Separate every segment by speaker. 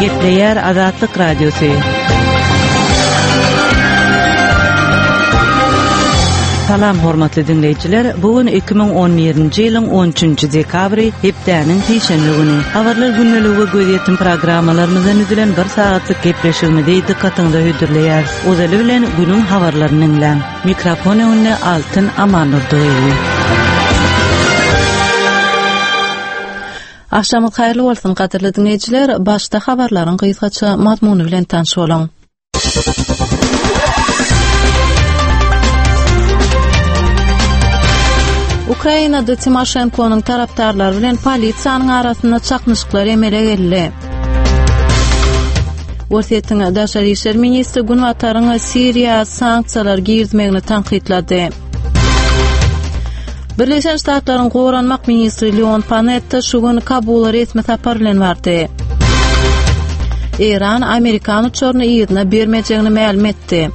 Speaker 1: Gepleýär Azatlyk Radiosy. Salam hormatly diňleýjiler. Bu gün 2011-nji ýylyň 13-nji dekabry, hepdäniň sişenbe güni. Habarlar gündeligi we gözýetim programmalarymyzdan düzülen bir sagatlyk gepleşigimizi dykgatyňyza hödürleýäris. Ozaly bilen günüň habarlaryny diňläň. Mikrofon öňünde Altyn Amandurdyýewa.
Speaker 2: Agşamyňyz haýyrly bolsun, gadyrly diňleýjiler! Başda habarlaryň gysgaça mazmuny bilen tanyş boluň. Ukrainada Timoşenkonyň tarapdarlary bilen polisiýanyň arasynda çaknyşyklar emele geldi. Orsýetiň daşary işler ministri Günbataryň Siriýa sanksiýalar girizmegini tankytlady. Birleşen Ştatlaryň goranmak ministri Leon Panetta şu gün Kabula resmi sapar bilen bardy. Eýran amerikan uçaryny yzyna bermejegini mälim etdi.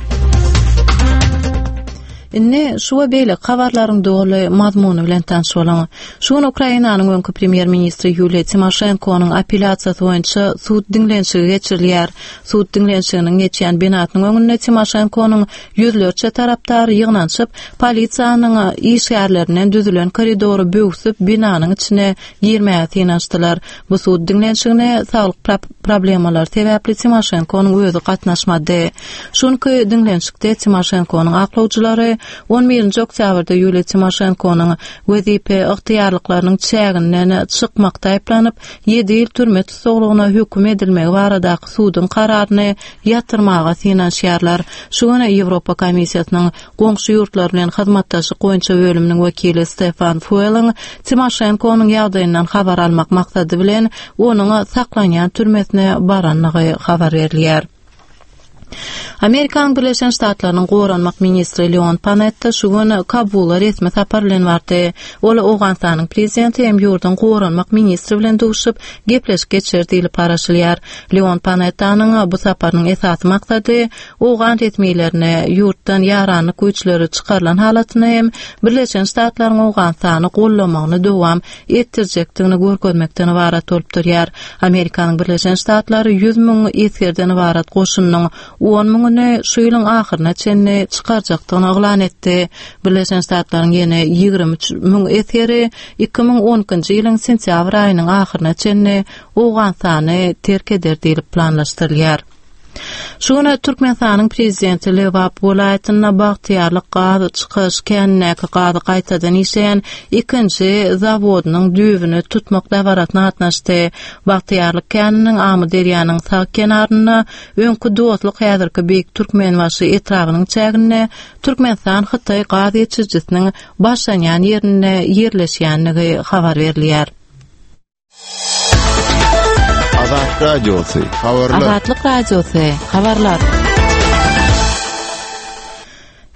Speaker 2: Indi şu we beýleki habarlaryň doly mazmuny bilen tanyş boluň. Şu gün Ukrainanyň öňki premýer-ministri Ýuliýa Timoşenkonyň apelýasiýasy boýunça sud diňlenişigi geçirilýär. Sud diňlenişiginiň geçýän binasynyň öňünde Timoşenkonyň ýüzlerçe tarapdary ýygnanyşyp, polisiýanyň işgärlerinden düzülen koridory böwsüp, binanyň içine girmäge synanyşdylar. Bu sud diňlenişigine saglyk problemalary sebäpli Timoşenkonyň özi gatnaşmady. Şu günki diňlenişikde Timoşenkonyň aklawjylary on birinji oktýabrda Ýuliýa Timoşenkonyň wezipe ygtyýarlyklarynyň çäginden çykmakda aýyplanyp, ýedi ýyl türme tussaglygyna höküm edilmegi baradaky suduň kararyny ýatyrmaga synanyşýarlar. Şu gün Ýewropa Komissiýasynyň goňşy ýurtlar bilen hyzmatdaşlyk boýunça bölüminiň wekili Stefan Fueliň Timoşenkonyň ýagdaýyndan habar almak maksady bilen onuň saklanýan türmesine barandygy habar berilýär. Amerikanyň Birleşen Ştatlarynyň goranmak ministri Leon Panetta şu gün Kabula resmi sapar bilen bardy. Ol Owganystanyň prezidenti hem ýurduň goranmak ministri bilen duşup, gepleşik geçirer diýlip garaşylýar. Leon Panettanyň bu saparynyň esasy maksady owgan resmilerine ýurtdan ýaranlyk güýçleri çykarylan halatynda hem Birleşen Ştatlaryň Owganystany goldamagyny dowam etdirjekdigini görkezmekden ybarat bolup durýar. Amerikanyň Birleşen Ştatlary 100 müň esgerden ybarat goşunynyň on müňüni şu ýylyň ahyryna çenli çykarjakdygyny yglan etdi. Birleşen Ştatlaryň ýene 23 müň esgeri 2012-nji ýylyň sentýabr aýynyň ahyryna çenli Owganystany terk eder diýlip planlaşdyrylýar. Şu gün Türkmenistanyň Prezidenti Lebap welaýatynda Bagtyýarlyk gaz çykaryş känindäki gazy gaýtadan işleýän ikinji zawodynyň düýbüni tutmak dabarasyna gatnaşdy. Bagtyýarlyk käniniň Amyderýanyň sag kenarynda, öňki Dostluk, häzirki Beýik Türkmenbaşy etrabynyň çäginde Türkmenistan-Hytaý gaz geçirijisiniň başlanýan ýerinde ýerleşýändigi habar berilýär.
Speaker 3: Azat Radiosy, habarlar.
Speaker 2: Azatlyk Radiosy, habarlar.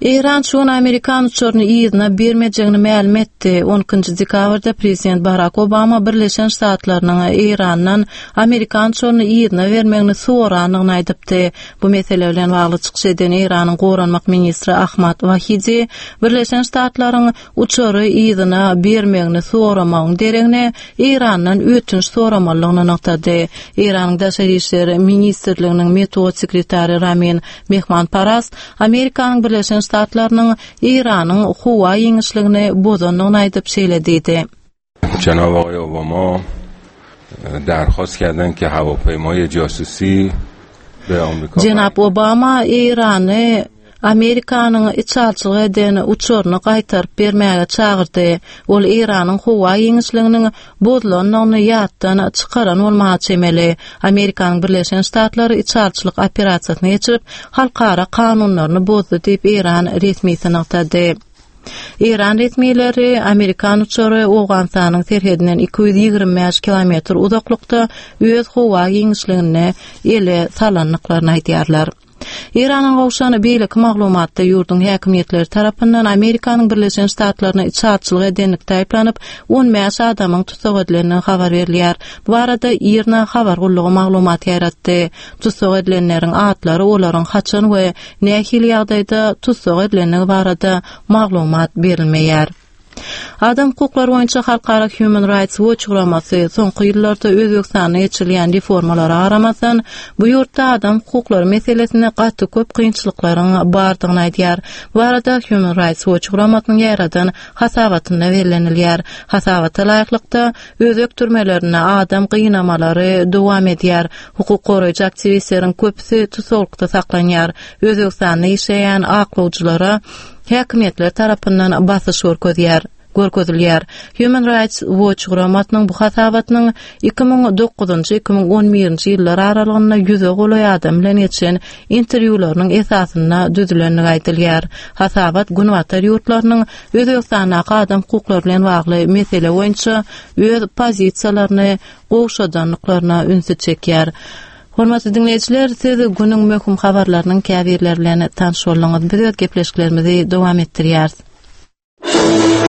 Speaker 2: Eýran şu gün amerikan uçaryny yzyna bermejegini mälim etdi. 12 dekabrda prezident Barak Obama Birleşen Ştatlarynyň Eýrandan amerikan uçaryny yzyna bermegini sorandygyny aýdypdy. Bu mesele bilen bagly çykyş eden Eýranyň goranmak ministri Ahmad Wahidi Birleşen Ştatlaryň uçary yzyna bermegini soramagyň deregine Eýrandan ötünç soramalydygyny nygtady. Eýranyň Daşary işler ministrliginiň metbugat sekretary Ramin Mehmanparast Amerikanyň Birleşen Ştatlarynyň Eýranyň howa giňişligini bozandygyny aýdyp şeýle diýdi.
Speaker 4: جناب آقای اوباما درخواست کردن که هواپیمای جاسوسی به آمریکا
Speaker 2: Jenap Obama Eýrany Amerikanyň içalçylyk eden uçaryny gaýtaryp bermäge çagyrdy. Ol Eýranyň howa giňişliginiň bozulandygyny ýatdan çykaran bolmaga çemeli. Amerikanyň Birleşen Ştatlary içalçylyk operasiýasyny geçirip, halkara kanunlaryny bozdy diýip, Eýran resmisi nygtady. Eýran resmileri amerikan uçary Owganystanyň serhedinden 225 kilometr uzaklykda öz howa giňişliginde ele salandyklaryny aýdýarlar. Eýrandan gowşan beýleki maglumatda ýurduň häkimiýetleri tarapyndan Amerikanyň Birleşen Ştatlaryna içalyçylyk edenlikde aýyplanyp, 15 adamyň tussag edilendigi habar berilýär. Bu barada IRNA habar gullugy maglumat ýaýratdy. Tussag edilenleriň atlary, olaryň haçan we nähili ýagdaýda tussag edilendigi barada maglumat berilmeýär. Adam hukuklary boýunça halkara Human Rights Watch guramasy soňky ýyllarda Özbegistanda geçirilýän reformalara garamazdan, bu ýurtda adam hukuklary meselesinde gaty köp kynçylyklaryň bardygyny aýdýar. Bu barada Human Rights Watch guramasynyň ýaýradan hasabatynda bellenilýär. Hasabata laýyklykda, özbek türmelerinde adam gynamalary dowam edýär, hukuk goraýjy aktiwistleriň köpüsi tussaglykda saklanýar, Özbegistanda işleýän aklawjylara häkimiýetler tarapyndan basyş görkezýär görkezilýär. Human Rights Watch guramasynyň bu hasabatynyň 2009-njy, 2011-nji ýyllar aralygynda ýüze golaý adam bilen geçen interwýularynyň esasynda düzülendigi aýdylýar. Hasabat Günbatar ýurtlarynyň Özbegistandaky adam hukuklary bilen bagly mesele boýunça öz pozisiýalaryny gowşadandyklaryna ünsi çekýär. Hormatly diňleýjiler, siz günüň möhüm habarlarynyň käbirleri bilen tanyş bolduňyz. Biz öz gepleşiklerimizi dowam etdirýäris.